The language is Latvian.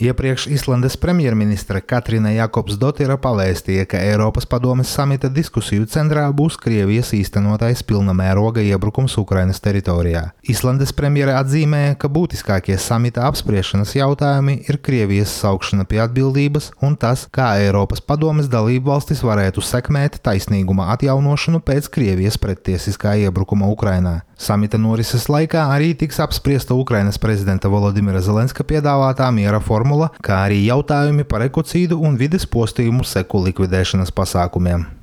Iepriekš Islandes premjerministre Katrina Jakobsdotira pavēstīja, ka Eiropas padomes samita diskusiju centrā būs Krievijas īstenotais pilna mēroga iebrukums Ukrainas teritorijā. Islandes premjere atzīmēja, ka būtiskākie samita apspriešanas jautājumi ir Krievijas saukšana pie atbildības un tas, kā Eiropas padomes dalībvalstis varētu sekmēt taisnīguma atjaunošanu pēc Krievijas prettiesiskā iebrukuma Ukrainā. Samita norises laikā arī tiks apspriesta Ukrainas prezidenta Volodimira Zelenska piedāvātā miera formula, kā arī jautājumi par ekocīdu un vides postījumu seku likvidēšanas pasākumiem.